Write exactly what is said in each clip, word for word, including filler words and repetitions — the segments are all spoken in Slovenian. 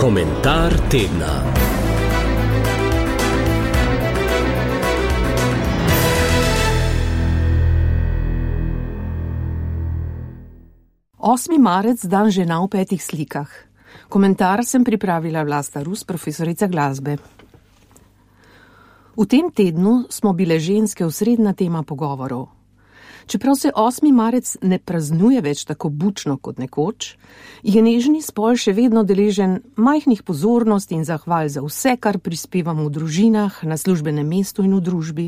Komentar tedna. osmi marec, dan žena v petih slikah. Komentar sem pripravila Vlasta Rus, profesorica glasbe. V tem tednu smo bile ženske osrednja tema pogovorov. Čeprav se osmi marec ne praznuje več tako bučno kot nekoč, je nežni spol še vedno deležen majhnih pozornosti in zahval za vse, kar prispevamo v družinah, na službenem mestu in v družbi.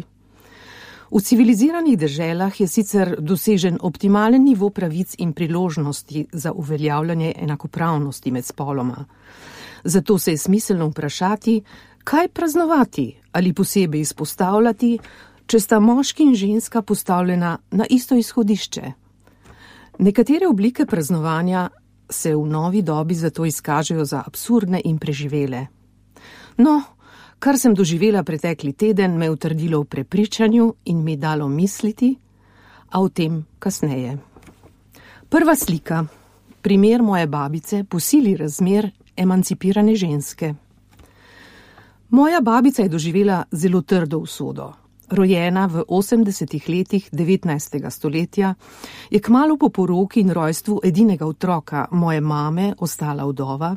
V civiliziranih deželah je sicer dosežen optimalen nivo pravic in priložnosti za uveljavljanje enakopravnosti med spoloma. Zato se je smiselno vprašati, kaj praznovati ali posebej izpostavljati, če sta moški in ženska postavljena na isto izhodišče. Nekatere oblike praznovanja se v novi dobi zato izkažejo za absurdne in preživele. No, kar sem doživela pretekli teden, me je utrdilo v prepričanju in mi dalo misliti, a o tem kasneje. Prva slika. Primer moje babice po sili razmer emancipirane ženske. Moja babica je doživela zelo trdo usodo. Rojena v osemdesetih letih devetnajstega stoletja, je kmalu po poroki in rojstvu edinega otroka moje mame ostala vdova,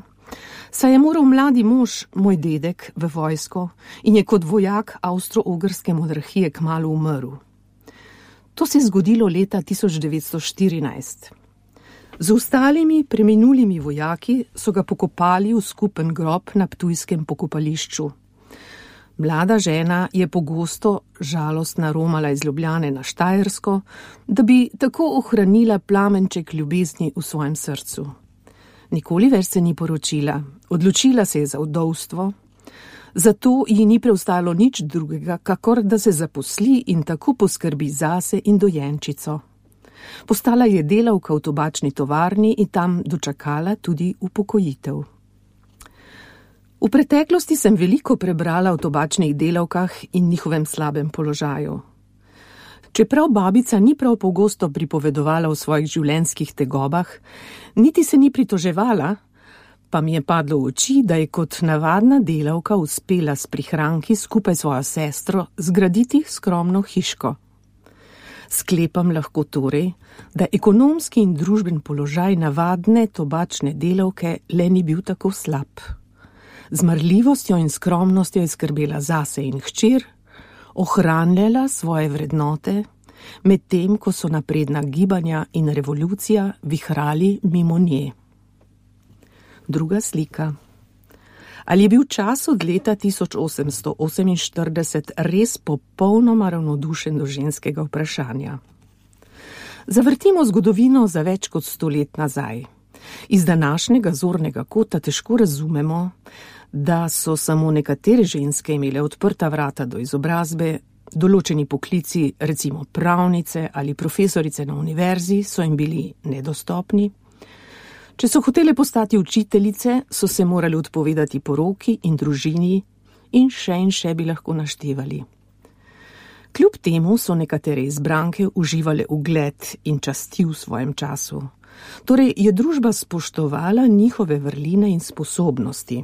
saj je moral mladi mož, moj dedek, v vojsko in je kot vojak avstro-ogrske monarhije kmalu umrl. To se je zgodilo leta tisoč devetsto štirinajst. Z ostalimi preminulimi vojaki so ga pokopali v skupen grob na ptujskem pokopališču. Mlada žena je pogosto žalostna romala iz Ljubljane na Štajersko, da bi tako ohranila plamenček ljubezni v svojem srcu. Nikoli več se ni poročila, odločila se je za vdovstvo, zato ji ni preostalo nič drugega, kakor da se zaposli in tako poskrbi zase in dojenčico. Postala je delavka v tobačni tovarni in tam dočakala tudi upokojitev. V preteklosti sem veliko prebrala o tobačnih delavkah in njihovem slabem položaju. Čeprav babica ni prav pogosto pripovedovala o svojih življenjskih tegobah, niti se ni pritoževala, pa mi je padlo v oči, da je kot navadna delavka uspela s prihranki skupaj s svojo sestro zgraditi skromno hiško. Sklepam lahko torej, da ekonomski in družben položaj navadne tobačne delavke le ni bil tako slab. Z marljivostjo in skromnostjo je skrbela zase in hčer, ohranjala svoje vrednote, medtem ko so napredna gibanja in revolucija vihrali mimo nje. Druga slika. Ali je bil čas od leta tisoč osemsto oseminštirideset res popolnoma ravnodušen do ženskega vprašanja? Zavrtimo zgodovino za več kot sto let nazaj. Iz današnjega zornega kota težko razumemo, da so samo nekatere ženske imele odprta vrata do izobrazbe, določeni poklici, recimo pravnice ali profesorice na univerzi, so jim bili nedostopni. Če so hotele postati učiteljice, so se morali odpovedati poroki in družini in še in še bi lahko naštevali. Kljub temu so nekatere izbranke uživale ugled in časti v svojem času. Torej je družba spoštovala njihove vrline in sposobnosti.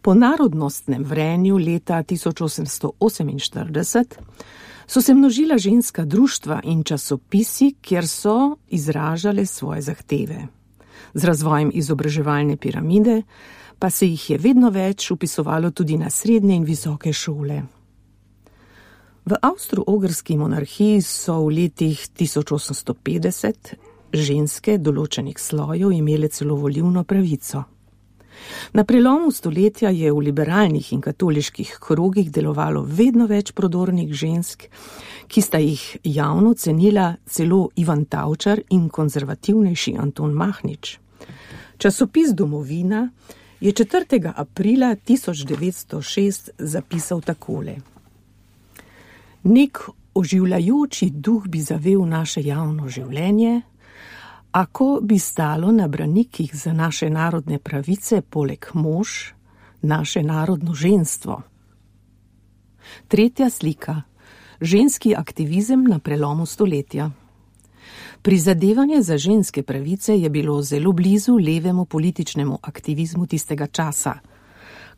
Po narodnostnem vrenju leta tisoč osemsto oseminštirideset so se množila ženska društva in časopisi, kjer so izražale svoje zahteve. Z razvojem izobraževalne piramide pa se jih je vedno več vpisovalo tudi na srednje in visoke šole. V avstro-ogrski monarhiji so v letih tisoč osemsto petdeset ženske določenih slojev imele celo volilno pravico. Na prelomu stoletja je v liberalnih in katoliških krogih delovalo vedno več prodornih žensk, ki sta jih javno cenila celo Ivan Tavčar in konzervativnejši Anton Mahnič. Časopis Domovina je četrtega aprila tisoč devetsto šest zapisal takole. Nek oživljajoči duh bi zavel naše javno življenje, ako bi stalo na branikih za naše narodne pravice poleg mož, naše narodno ženstvo. Tretja slika. Ženski aktivizem na prelomu stoletja. Prizadevanje za ženske pravice je bilo zelo blizu levemu političnemu aktivizmu tistega časa,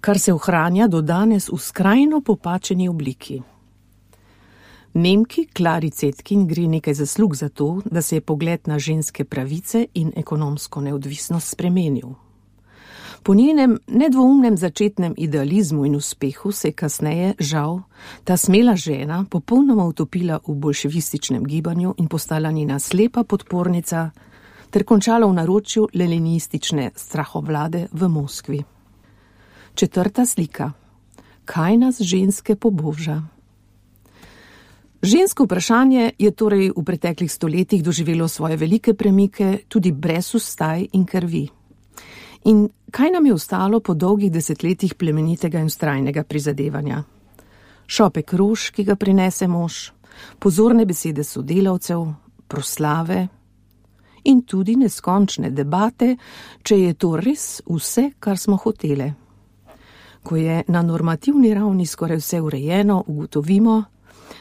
kar se ohranja do danes v skrajno popačeni obliki. Nemki Klari Cetkin gre nekaj zaslug za to, da se je pogled na ženske pravice in ekonomsko neodvisnost spremenil. Po njenem nedvoumnem začetnem idealizmu in uspehu se je kasneje, žal, ta smela žena popolnoma utopila v bolševističnem gibanju in postala njena slepa podpornica ter končala v naročju leninistične strahovlade v Moskvi. Četrta slika. Kaj nas ženske poboža? Žensko vprašanje je torej v preteklih stoletjih doživelo svoje velike premike tudi brez ustaj in krvi. In kaj nam je ostalo po dolgih desetletjih plemenitega in vztrajnega prizadevanja? Šopek rož, ki ga prinese mož, pozorne besede sodelavcev, proslave in tudi neskončne debate, če je to res vse, kar smo hotele. Ko je na normativni ravni skoraj vse urejeno, ugotovimo,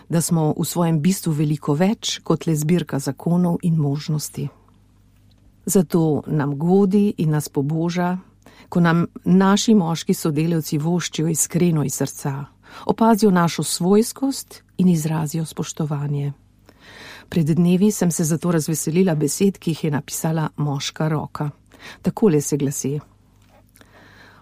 da smo v svojem bistvu veliko več kot le zbirka zakonov in možnosti. Zato nam godi in nas poboža, ko nam naši moški sodelavci voščijo iskreno iz srca, opazijo našo svojskost in izrazijo spoštovanje. Pred dnevi sem se zato razveselila besed, ki jih je napisala moška roka. Takole se glasi.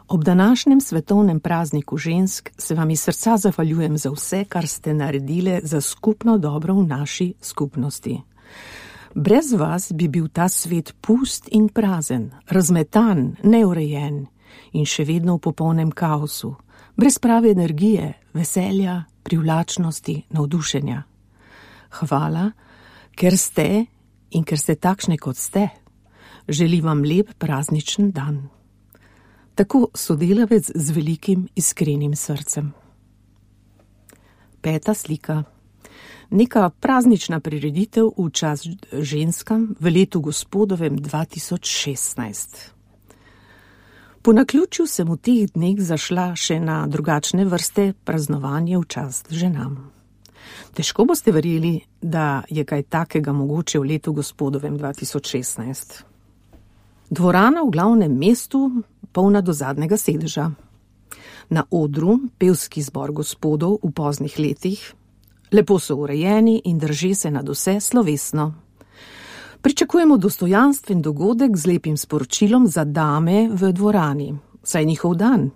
Ob današnjem svetovnem prazniku žensk se vam iz srca zahvaljujem za vse, kar ste naredile za skupno dobro v naši skupnosti. Brez vas bi bil ta svet pust in prazen, razmetan, neurejen in še vedno v popolnem kaosu, brez prave energije, veselja, privlačnosti, navdušenja. Hvala, ker ste in ker ste takšne, kot ste. Želim vam lep prazničen dan. Tako sodelavec z velikim iskrenim srcem. Peta slika. Neka praznična prireditev v čas ženskam v letu gospodovem dva tisoč šestnajst. Po naključju sem v teh dneh zašla še na drugačne vrste praznovanje v čast ženam. Težko boste verjeli, da je kaj takega mogoče v letu gospodovem dva tisoč šestnajst. Dvorana v glavnem mestu, polna do zadnjega sedeža. Na odru pevski zbor gospodov v poznih letih, lepo so urejeni in drže se nad vse slovesno. Pričakujemo dostojanstven dogodek z lepim sporočilom za dame v dvorani, saj njihov dan,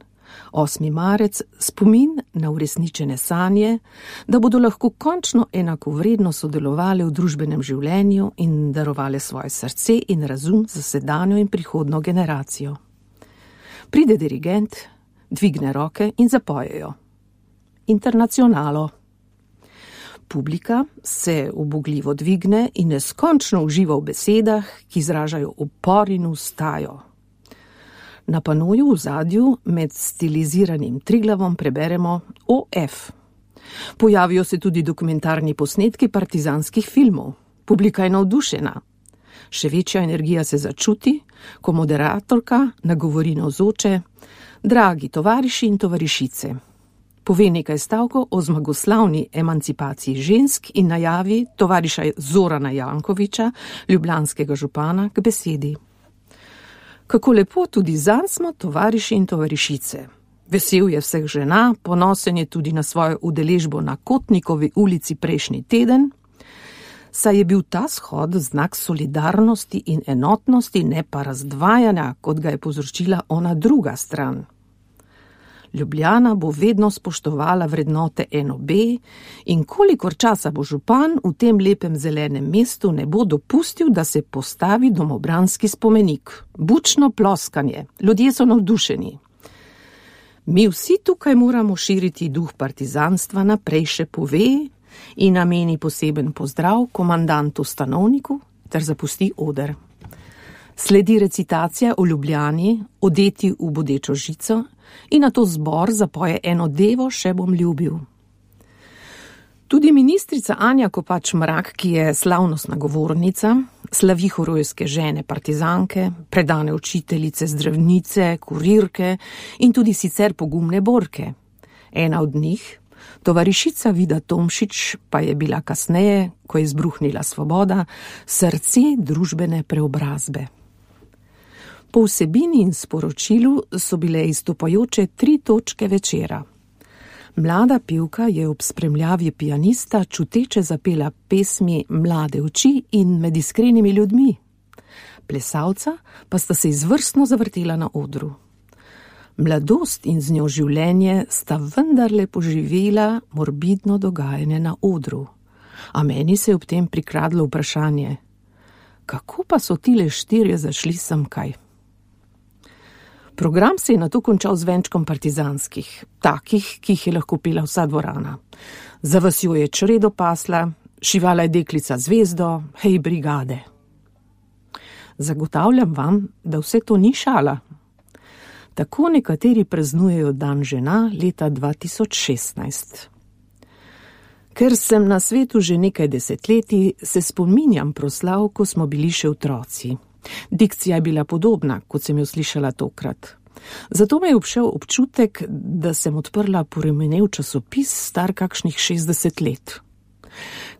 osmi marec, spomin na uresničene sanje, da bodo lahko končno enakovredno sodelovali v družbenem življenju in darovali svoje srce in razum za sedanjo in prihodno generacijo. Pride dirigent, dvigne roke in zapojejo. Internacionalo. Publika se ubogljivo dvigne in neskončno uživa v besedah, ki izražajo upor in ustajo. Na panoju v zadju med stiliziranim Triglavom preberemo O F. Pojavijo se tudi dokumentarni posnetki partizanskih filmov. Publika je navdušena. Še večja energija se začuti, ko moderatorka nagovori navzoče: dragi tovariši in tovarišice. Pove nekaj stavkov o zmagoslavni emancipaciji žensk in najavi tovariša Zorana Jankoviča, ljubljanskega župana, k besedi. Kako lepo, tudi zanj smo tovariši in tovarišice. Vesel je vseh žena, ponosen je tudi na svojo udeležbo na Kotnikovi ulici prejšnji teden, saj je bil ta shod znak solidarnosti in enotnosti, ne pa razdvajanja, kot ga je povzročila ona druga stran. Ljubljana bo vedno spoštovala vrednote N O B in kolikor časa bo župan v tem lepem zelenem mestu, ne bo dopustil, da se postavi domobranski spomenik. Bučno ploskanje, ljudje so navdušeni. Mi vsi tukaj moramo širiti duh partizanstva naprej, še pove in nameni poseben pozdrav komandantu Stanovniku ter zapusti oder. Sledi recitacija o Ljubljani, odeti v bodečo žico, in nato zbor zapoje eno devo Še bom ljubil. Tudi ministrica Anja Kopač Mrak, ki je slavnostna govornica, slavi herojske žene partizanke, predane učiteljice, zdravnice, kurirke in tudi sicer pogumne borke. Ena od njih, Tovarišica Vida Tomšič pa je bila kasneje, ko je izbruhnila svoboda, srce družbene preobrazbe. Po vsebini in sporočilu so bile izstopajoče tri točke večera. Mlada pevka je ob spremljavi pianista čuteče zapela pesmi Mlade oči in Med iskrenimi ljudmi. Plesalca pa sta se izvrstno zavrtela na odru. Mladost in z njo življenje sta vendarle poživela morbidno dogajanje na odru. A meni se je ob tem prikradlo vprašanje, kako pa so tile štirje zašli semkaj? Program se je nato končal z venčkom partizanskih, takih, ki jih je lahko pela vsa dvorana. Za vasjo je čredo pasla, šivala je deklica zvezdo, hej brigade. Zagotavljam vam, da vse to ni šala. Tako nekateri praznujejo dan žena leta dva tisoč šestnajst. Ker sem na svetu že nekaj desetletij, se spominjam proslav, ko smo bili še otroci. Dikcija je bila podobna, kot sem jo slišala tokrat. Zato me je obšel občutek, da sem odprla poremenel časopis star kakšnih šestdeset let.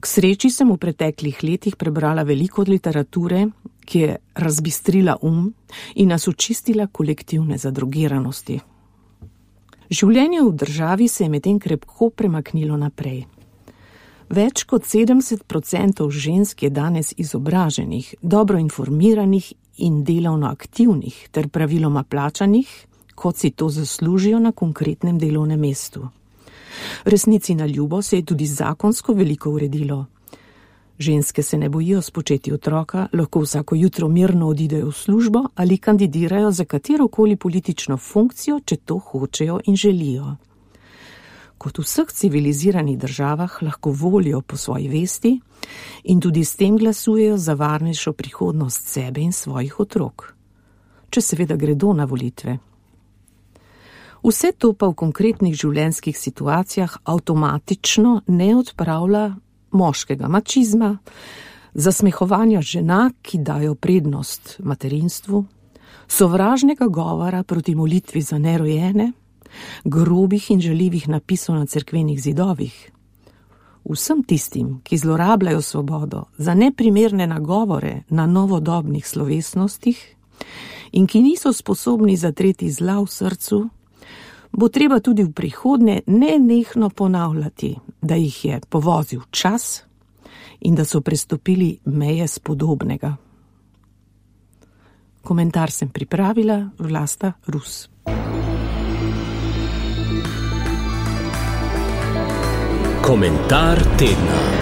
K sreči sem v preteklih letih prebrala veliko literature, ki je razbistrila um in nas očistila kolektivne zadrogiranosti. Življenje v državi se je medtem krepko premaknilo naprej. Več kot sedemdeset procentov žensk je danes izobraženih, dobro informiranih in delovno aktivnih ter praviloma plačanih, kot si to zaslužijo na konkretnem delovnem mestu. Resnici na ljubo se je tudi zakonsko veliko uredilo. Ženske se ne bojijo spočeti otroka, lahko vsako jutro mirno odidejo v službo ali kandidirajo za katerokoli politično funkcijo, če to hočejo in želijo. Kot v vseh civiliziranih državah lahko volijo po svoji vesti in tudi s tem glasujejo za varnejšo prihodnost sebe in svojih otrok. Če seveda gredo na volitve. Vse to pa v konkretnih življenjskih situacijah avtomatično ne odpravlja moškega mačizma, zasmehovanja žena, ki dajo prednost materinstvu, sovražnega govora proti molitvi za nerojene, grobih in žaljivih napisov na cerkvenih zidovih. Vsem tistim, ki zlorabljajo svobodo za neprimerne nagovore na novodobnih slovesnostih in ki niso sposobni zatreti zla v srcu, bo treba tudi v prihodnje nenehno ponavljati, da jih je povozil čas in da so prestopili meje spodobnega. Komentar sem pripravila Vlasta Rus. Komentar tedna.